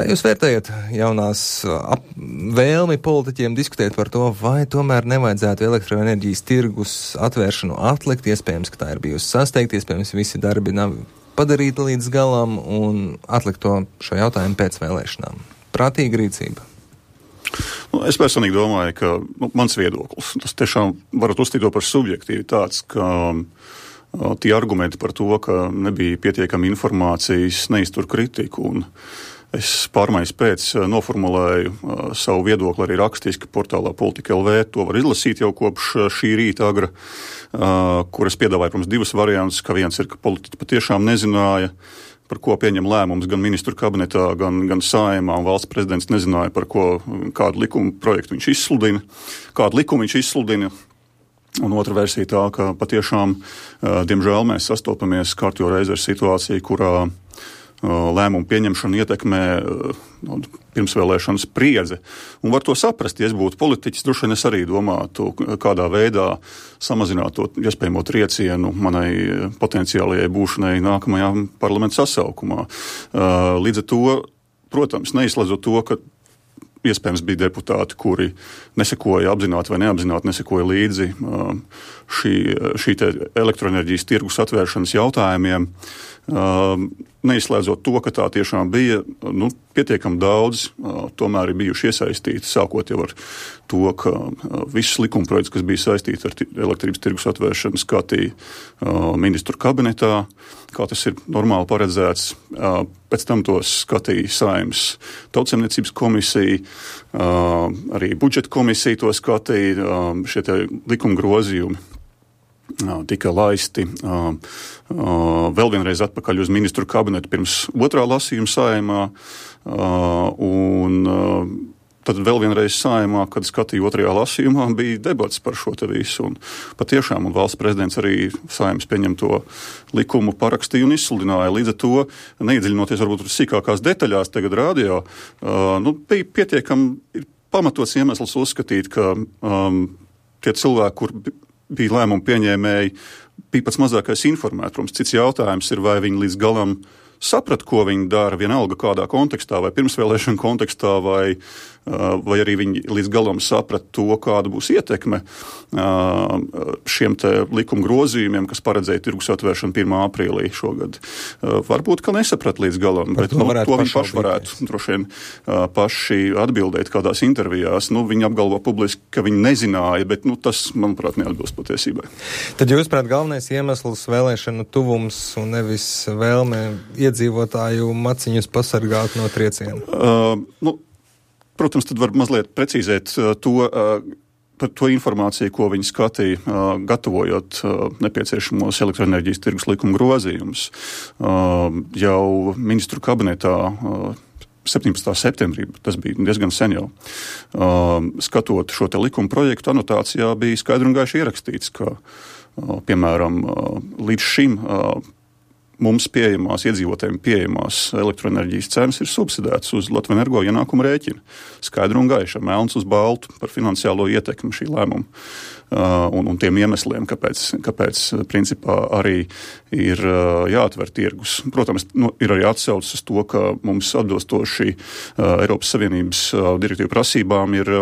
Kā jūs vērtējat jaunās vēlmi politiķiem diskutēt par to, vai tomēr nevajadzētu elektroenerģijas tirgus atvēršanu atlikt? Iespējams, ka tā ir bijusi sasteigta, iespējams, visi darbi nav padarīti līdz galam un atlikt šo jautājumu pēc vēlēšanām. Prātīga rīcība. Es personīgi domāju, ka mans viedoklis, tas tiešām varat uzstīt to par subjektīvi tāds, ka tie argumenti par to, ka nebija pietiekami informācijas, neiztur kritiku, un es pārmaiņas pēc noformulēju savu viedokli arī rakstiski portālā Politika LV. To var izlasīt jau kopš šī rīta agra, kur es piedāvāju, protams, divas variantus, ka viens ir, ka politiķi patiešām nezināja, par ko pieņem lēmums gan ministru kabinetā, gan Saeimā, un valsts prezidents nezināja, par kādu likumu projektu viņš izsludina, kādu likumu viņš izsludina. Un otra versija tā, ka patiešām, diemžēl, mēs sastopamies kārtjo reizi ar situāciju, kurā lēmumu pieņemšanu ietekmē pirmsvēlēšanu spriedze. Un var to saprast, ja es būtu politiķis, droši vien es arī domātu, kādā veidā samazināt to iespējamo triecienu manai potenciālajai būšanai nākamajā parlamenta sasaukumā. Līdz ar to, protams, neizslēdzot to, ka iespējams bija deputāti, kuri nesekoja apzināti vai neapzināti nesekoja līdzi šī te elektroenerģijas tirgus atvēršanas jautājumiem. Neizslēdzot to, ka tā tiešām bija pietiekami daudz, tomēr ir bijuši iesaistīti, sākot jau ar to, ka visus likumprojektus, kas bija saistīti ar elektrības tirgus atvēršanu, skatīja ministru kabinetā, kā tas ir normāli paredzēts. Pēc tam tos skatīja Saeimas Tautsaimniecības komisija, arī budžeta komisija to skatīja, šie te likuma grozījumi tika laisti vēl vienreiz atpakaļ uz ministru kabinetu pirms otrā lasījuma Saeimā, un tad vēl vienreiz Saeimā, kad skatīja otrajā lasījumā, bija debats par šo te visu, un patiešām, un valsts prezidents arī Saeimas pieņemto likumu parakstīja un izsludināja. Līdz ar to, neiedziļinoties varbūt sīkākās detaļās tagad radio, bija pietiekami pamatots iemesls uzskatīt, ka tie cilvēki, kur bija lēmumu pieņēmēji, bija pats mazākais informēti. Protams, cits jautājums ir, vai viņi līdz galam saprat, ko viņi dara, vienalga kādā kontekstā, vai pirmsvēlēšana kontekstā, vai arī viņi līdz galam saprat to, kāda būs ietekme šiem te likuma grozījumiem, kas paredzēja tirgus atvēršanu 1. aprīlī šogad. Varbūt, ka nesaprat līdz galam, bet to viņi paši varētu droši vien paši atbildēt kādās intervijās. Viņi apgalvo publiski, ka viņi nezināja, bet tas, manuprāt, neatbilst patiesībai. Tad jūs, prāt, galvenais iemesls vēlēšanu tuvums un nevis vēlme iedzīvotāju maciņus pasargāt no trieciena? Protams, tad var mazliet precīzēt par to informāciju, ko viņi skatīja, gatavojot nepieciešamos elektroenerģijas tirgus likuma grozījumus. Jau ministru kabinetā 17. septembrī, tas bija diezgan sen jau, skatot šo te likuma projektu, anotācijā bija skaidri un gaiši ierakstīts, ka, piemēram, līdz šim mums pieejamās, iedzīvotājiem pieejamās elektroenerģijas cenas ir subsidētas uz Latvenergo ienākumu rēķinu. Skaidri un gaiši, melns uz baltu par finansiālo ietekmi šī lēmuma un tiem iemesliem, kāpēc principā arī ir jāatver tirgus. Protams, ir arī atsaucis uz to, ka mums atbilstoši Eiropas Savienības direktīvu prasībām ir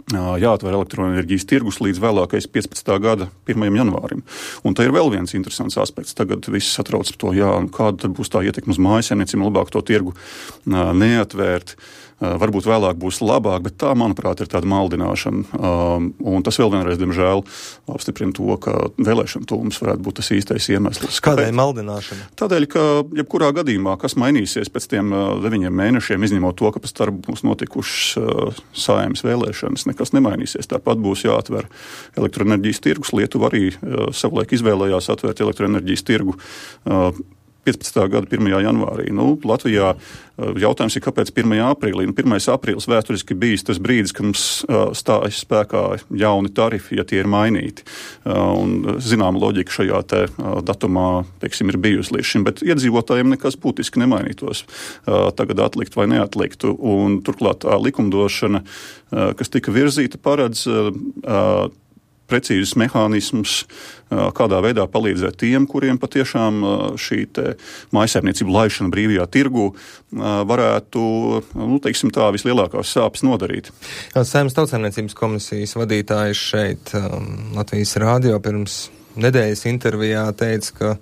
jāatver elektroenerģijas tirgus līdz vēlākais 15. gada 1. janvārim. Un tā ir vēl viens interesants aspekts. Tagad viss satrauc par to, kāda tad būs tā ietekme uz mājasēmniecību, labāk to tirgu neatvērt. Varbūt vēlāk būs labāk, bet tā, manuprāt, ir tāda maldināšana. Un tas vēl vienreiz, diemžēl, apstiprina to, ka vēlēšana tuvums varētu būt tas īstais iemesls. Kādēļ maldināšana? Tādēļ, ka jebkurā gadījumā, kas mainīsies pēc tiem 9 mēnešiem, izņemot to, ka pēc tam būs notikušas Saeimas vēlēšanas, nekas nemainīsies. Tāpat būs jāatver elektroenerģijas tirgus. Lietuva arī savulaik izvēlējās atvērt elektroenerģijas tirgu 15. gada 1. janvārī. Latvijā jautājums ir, kāpēc 1. aprīlī? 1. aprīlis vēsturiski bijis tas brīdis, kad mums stājas spēkā jauni tarifi, ja tie ir mainīti. Un zināma loģika šajā te datumā, ir bijusi līdz šim, bet iedzīvotājiem nekas būtiski nemainītos. Tagad atlikt vai neatliktu. Un turklāt tā likumdošana, kas tika virzīta, paredz precīzus mehānismus, kādā veidā palīdzēt tiem, kuriem patiešām šī mājsaimniecību laišana brīvajā tirgu varētu, teiksim tā, vislielākās sāpes nodarīt. Saeimas Tautsaimniecības komisijas vadītājs šeit Latvijas rādio pirms nedēļas intervijā teica, ka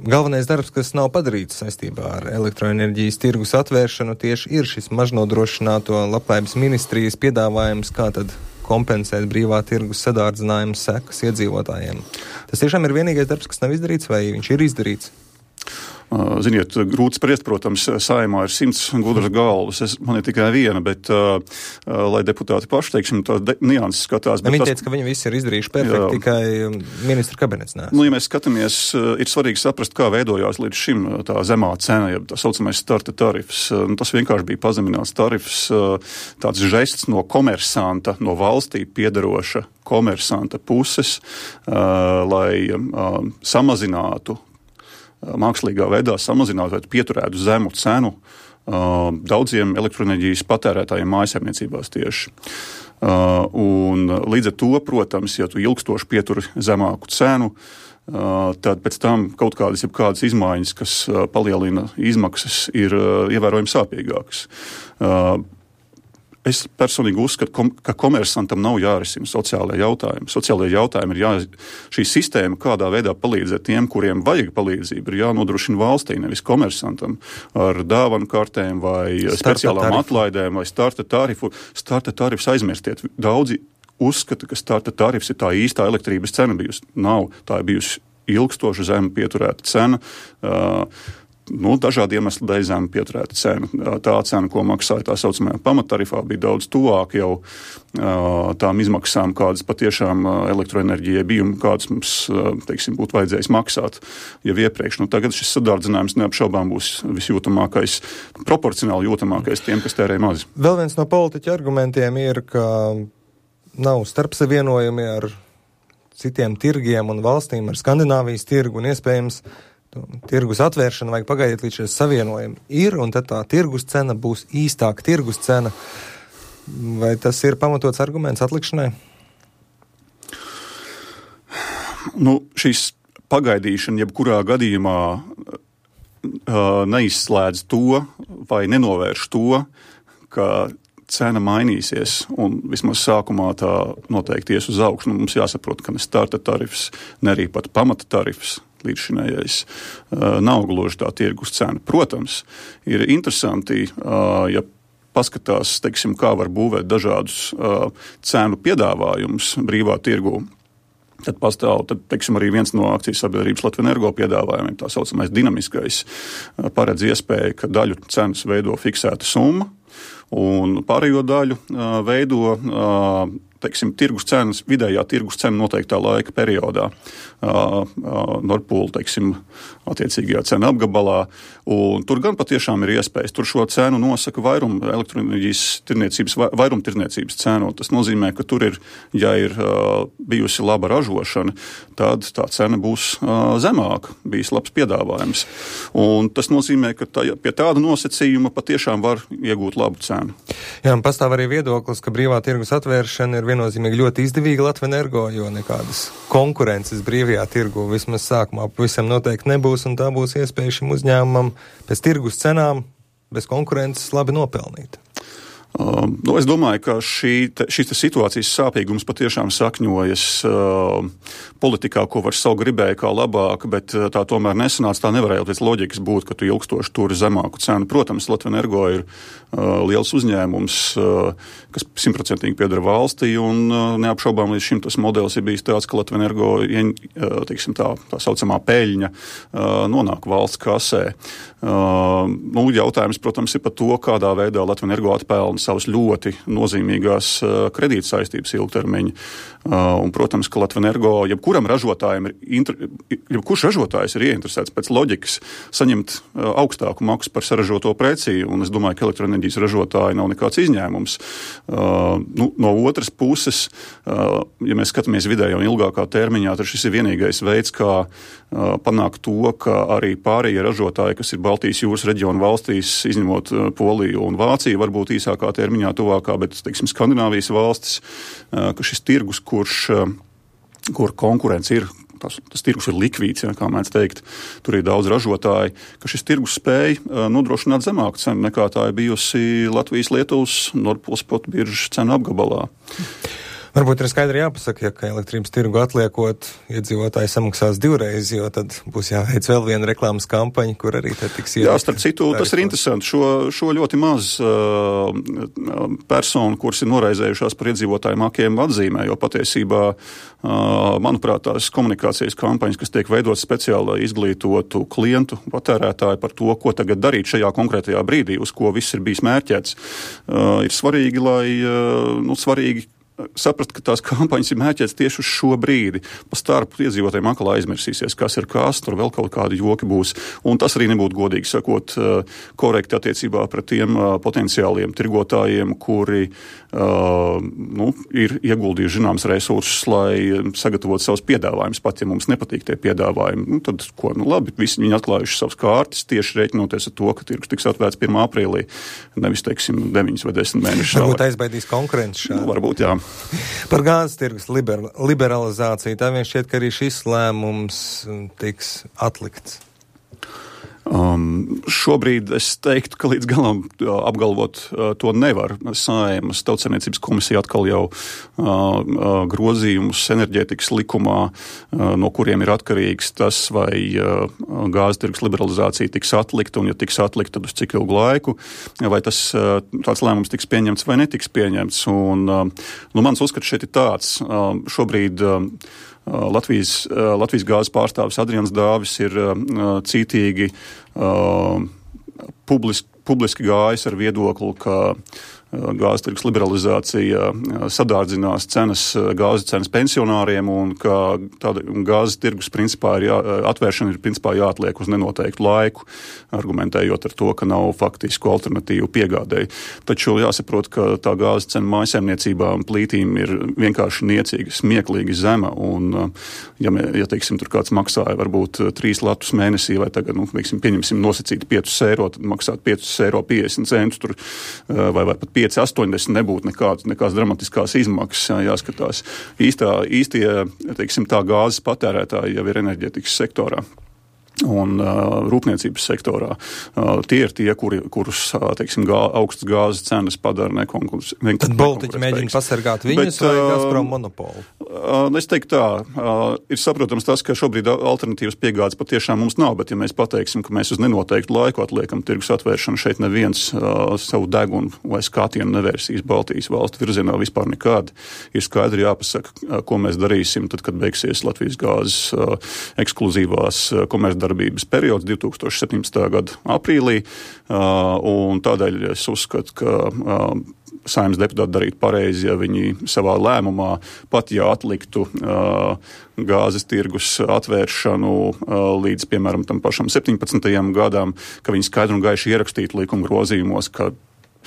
galvenais darbs, kas nav padarīts saistībā ar elektroenerģijas tirgus atvēršanu, tieši ir šis mažnodrošināto labklājības ministrijas piedāvājums, kā tad kompensēt brīvā tirgus sadārdzinājumu sekas iedzīvotājiem. Tas tiešām ir vienīgais darbs, kas nav izdarīts, vai viņš ir izdarīts? Ziniet, grūti spriest, protams, Saeimā ir 100 gudras galvas, man ir tikai viena, bet lai deputāti paši, teiksim, tās nianses skatās. Viņi teica, ka viņi visi ir izdarījuši perfekti, tikai ministra kabinets nēs. Ja mēs skatāmies, ir svarīgi saprast, kā veidojās līdz šim tā zemā cena, ja tā saucamais starta tarifs. Tas vienkārši bija pazemināts tarifs, tāds žests no komersanta, no valstī piederoša komersanta puses, lai samazinātu mākslīgā veidā samazinātu vai pieturētu zemu cenu daudziem elektroenerģijas patērētājiem mājasaimniecībās tieši. Un līdz ar to, protams, ja tu ilgstoši pieturi zemāku cenu, tad pēc tam kaut kādas izmaiņas, kas palielina izmaksas, ir ievērojami sāpīgākas. Es personīgi uzskatu, ka komersantam nav jārisina sociālajie jautājumi. Sociālajie jautājumi ir šī sistēma, kādā veidā palīdzēt tiem, kuriem vajag palīdzību, ir jānodrošina valstī, nevis komersantam ar dāvanu kartēm vai speciālām atlaidēm vai starta tarifu. Starta tarifs aizmirstiet. Daudzi uzskata, ka starta tarifs ir tā īstā elektrības cena bijusi. Nav. Tā ir bijusi ilgstoša zema pieturēta cena. Dažādi iemesli dēļ zema pieturēta cena. Tā cena, ko maksāja tā saucamajā pamattarifā, bija daudz tuvāk jau tām izmaksām, kādas patiešām elektroenerģijai bija un kādas mums, teiksim, būtu vajadzējis maksāt jau iepriekš. Tagad šis sadārdzinājums neapšaubām būs visjūtamākais, proporcionāli jūtamākais tiem, kas tērē maz. Vēl viens no politiķa argumentiem ir, ka nav starpsavienojumi ar citiem tirgiem un valstīm, ar Skandināvijas tirgu un iespējams tirgus atvēršana vajag pagaidīt līdz šie savienojumi ir, un tad tā tirgus cena būs īstāka tirgus cena. Vai tas ir pamatots arguments atlikšanai? Šīs pagaidīšana jebkurā gadījumā neizslēdz to vai nenovērš to, ka cena mainīsies, un vismaz sākumā tā noteikti ies uz augšu. Mums jāsaprot, ka ne starta tarifs, ne arī pat pamata tarifs līdzšinējais nav gluži tā tirgus cena. Protams, ir interesanti, ja paskatās, teiksim, kā var būvēt dažādus cenu piedāvājumus brīvā tirgū. Tad pastāv, teiksim, arī viens no akcijas sabiedrības Latvenergo piedāvājumiem, tā saucamais dinamiskais, paredz iespēju, ka daļu cenas veido fiksēta summa, un pārējo daļu veido, teiksim, tirgus cenas, vidējā tirgus cena noteiktā laika periodā. Nordpūla, teiksim, attiecīgajā cena apgabalā, un tur gan patiešām ir iespējas. Tur šo cenu nosaka elektroenerģijas vairumtirniecības cenu. Tas nozīmē, ka tur ir, ja ir bijusi laba ražošana, tad tā cena būs zemāka, bijis labs piedāvājums. Un tas nozīmē, ka pie tāda nosacījuma patiešām var iegūt labu cenu. Jā, un pastāv arī viedoklis, ka brīvā tirgus atvēršana ir viennozīmīgi ļoti izdevīga Latvenergo, jo nekādas konkurences brīvajā tirgu vismaz sākumā pavisam noteikti nebūs, un tā būs iespēja šim uzņēmumam pēc tirgus cenām bez konkurences labi nopelnīt. Es domāju, ka šīs situācijas sāpīgums patiešām sakņojas politikā, ko var savu gribēja kā labāk, bet tā tomēr nesanāca. Tā nevarēja pēc loģikas būt, ka tu ilgstoši turi zemāku cenu. Protams, Latvenergo ir liels uzņēmums, kas 100% pieder valstī, un neapšaubām līdz šim tas modelis ir bijis tāds, ka Latvenergo, teiksim, tā saucamā peļņa nonāk valsts kasē. Jautājums, protams, ir par to, kādā veidā Latvenergo atpelna savas ļoti nozīmīgās kredītsaistības ilgtermiņa. Un, protams, ka Latvenergo, jebkuram ražotājiem jebkurš ražotājs ir ieinteresēts pēc loģikas saņemt augstāku maksu par saražoto preci, un es domāju, ka elektroenerģijas ražotāji nav nekāds izņēmums. No otras puses, ja mēs skatāmies vidējā un ilgākā termiņā, tad šis ir vienīgais veids, kā panākt to, ka arī pārējie ražotāji, kas ir Baltijas jūras reģiona valstīs, izņemot Poliju un Vāciju, varbūt īsākā īsākā termiņā, tuvākā, bet, teiksim, Skandināvijas valstis, ka šis tirgus, kur konkurence ir, tas tirgus ir likvīds, kā mēdz teikt, tur ir daudz ražotāji, ka šis tirgus spēja nodrošināt zemāku cenu nekā tā ir bijusi Latvijas, Lietuvas, Nord Pool Spot biržas cenu apgabalā. Varbūt ir skaidri jāpasaka, ja ka elektrības tirgu atliekot, iedzīvotāji samaksās divreiz, jo tad būs jāveic vēl viena reklāmas kampaņa, kur arī te tiks Jā, starp citu, tas ir interesanti. Šo ļoti maz personu, kuras ir noraizējušās par iedzīvotāju makiem atzīmē, jo patiesībā, manuprāt, tās komunikācijas kampaņas, kas tiek veidotas speciāli, lai izglītotu klientu, patērētāju par to, ko tagad darīt šajā konkrētajā brīdī, uz ko viss ir bijis mērķēts, ir svarīgi, svarīgi saprast, ka tās kampaņas ir mērķētas tieši uz šo brīdi. Pa starpu iedzīvotājiem atkal aizmirsīsies, kas ir kas, tur vēl kaut kādi joki būs. Un tas arī nebūtu godīgi sakot korekti attiecībā pret tiem potenciāliem tirgotājiem, kuri ir ieguldījuši zināms resursus, lai sagatavotu savus piedāvājumus. Pat, ja mums nepatīk tie piedāvājumi, tad labi, visi viņi atklājuši savas kārtas, tieši rēķinoties ar to, ka tirgus tiks atvērts 1. aprīlī, nevis, teiksim, 9 vai 10 mēnešus. Varbūt aizbaidīs konkurenci šādi. Varbūt, jā. Par gāzes tirgus liberalizāciju, tā vien šķiet, ka arī šis lēmums tiks atlikts. Šobrīd es teiktu, ka līdz galam apgalvot to nevar. Saeimas Tautsaimniecības komisija atkal jau grozījumus enerģētikas likumā, no kuriem ir atkarīgs tas, vai gāzes tirgus liberalizācija tiks atlikta, un ja tiks atlikta, tad uz cik ilgu laiku, vai tāds lēmums tiks pieņemts vai netiks pieņemts. Un, mans uzskats šeit ir tāds. Šobrīd Latvijas gāzes pārstāvis Adrians Dāvis ir cītīgi publiski gājis ar viedokli, ka gāzes tirgus liberalizācija sadārdzinās gāzes cenas pensionāriem un ka tāda gāzes tirgus principā atvēršana ir principā jāatliek uz nenoteiktu laiku, argumentējot ar to, ka nav faktisku alternatīvu piegādēji. Taču jāsaprot, ka tā gāzes cena mājsaimniecībām plītīm ir vienkārši niecīga, smieklīgi zema, un ja teiksim, tur kāds maksāja varbūt 3 latus mēnesī, vai tagad, pieņemsim nosacīt 5 eiro, tad maksāt 5,50 eiro tur, vai pat 5,80 nebūtu nekādas dramatiskās izmaksas, jāskatās. Īstie, teiksim, tā gāzes patērētāji jau ir enerģētikas sektorā un rūpniecības sektorā. Tie ir tie, kurus, teiksim, augstas gāzes cenas padara nekonkurētspējīgus. Tad Baltiķi mēģina pasargāt viņus vai Gazprom monopolu? Es teiktu tā, ir saprotams tas, ka šobrīd alternatīvas piegādes patiešām mums nav, bet ja mēs pateiksim, ka mēs uz nenoteiktu laiku atliekam tirgus atvēršanu, šeit neviens savu degunu vai skatienu nevērsīs Baltijas valstu virzienā vispār nekādi. Ir skaidri jāpasaka, ko mēs darīsim tad, kad beigsies Latvijas gāzes ekskluzīvās komercdarbības periods 2017. Gada aprīlī, un tādēļ es uzskatu, ka Saeimas deputāti darītu pareizi, ja viņi savā lēmumā, pat ja atliktu gāzes tirgus atvēršanu līdz, piemēram, tam pašam 17. gadam, ka viņi skaidri un gaiši ierakstītu likuma grozījumos, ka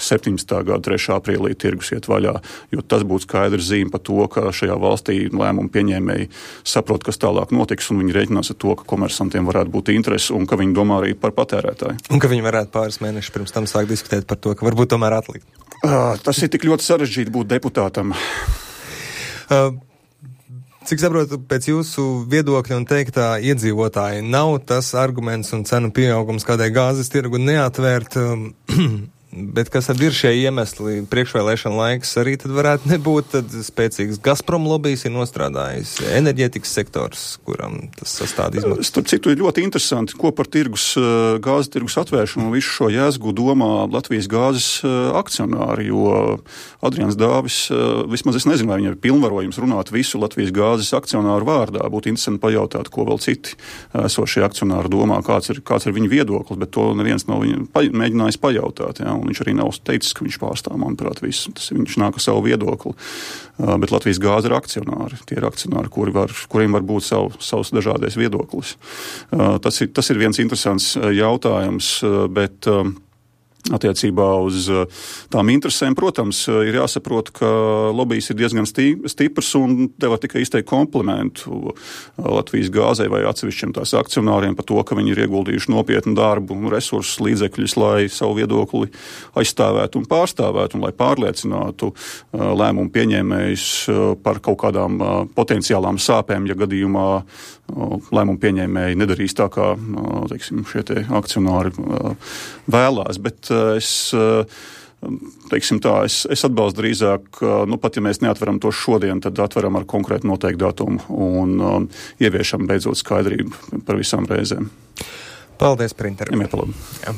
17. gada 3. aprīlī tirgus iet vaļā, jo tas būtu skaidrs zīme par to, ka šajā valstī lēmumu pieņēmēji saprot, kas tālāk notiks, un viņi rēķinās ar to, ka komersantiem varētu būt interesi un ka viņi domā arī par patērētāju. Un ka viņi varētu pāris mēnešus pirms tam sākt diskutēt par to, ka varbūt tomēr atlikt. Tas ir tik ļoti sarežģīti būt deputātam. Cik saprotu, pēc jūsu viedokļa un teiktā iedzīvotāji nav tas arguments un cenu pieaugums, kādai gāzes tirgu neatvērt, bet kas tad ir šie iemesli? Priekšvēlēšana laiks arī tad varētu nebūt, tad spēcīgs Gazprom lobijs ir nostrādājis enerģētikas sektors, kuram tas sastāda izmaksas. Starp citu, ir ļoti interesanti, ko par gāzes tirgus atvēršanu un visu šo jēzgu domā Latvijas gāzes akcionāri, jo Adrians Dāvis, vismaz es nezinu, vai viņam ir pilnvarojums runāt visu Latvijas gāzes akcionāru vārdā. Būtu interesanti pajautāt, ko vēl citi esošie akcionāri domā, kāds ir viņa viedoklis, bet to neviens nav mēģinājis pajautāt, jā. Un viņš arī nav teicis, ka viņš pārstāv, manuprāt, visu. Viņš nāk ar savu viedokli. Bet Latvijas gāze ir akcionāri. Tie ir akcionāri, kuriem var būt savs dažādais viedoklis. Tas ir viens interesants jautājums, bet Attiecībā uz tām interesēm, protams, ir jāsaprot, ka lobijs ir diezgan stiprs un te var tikai izteikt komplimentu Latvijas gāzei vai atsevišķiem tās akcionāriem par to, ka viņi ir ieguldījuši nopietnu darbu un resursus līdzekļus, lai savu viedokli aizstāvētu un pārstāvētu un lai pārliecinātu lēmumu pieņēmējus par kaut kādām potenciālām sāpēm, ja gadījumā lēmumu pieņēmēji nedarīs tā, kā, teiksim, šie te akcionāri vēlās, bet es atbalstu drīzāk, pat ja mēs neatveram to šodien, tad atveram ar konkrētu noteiktu datumu un ieviešam beidzot skaidrību par visām reizēm. Paldies par interviju. Jā.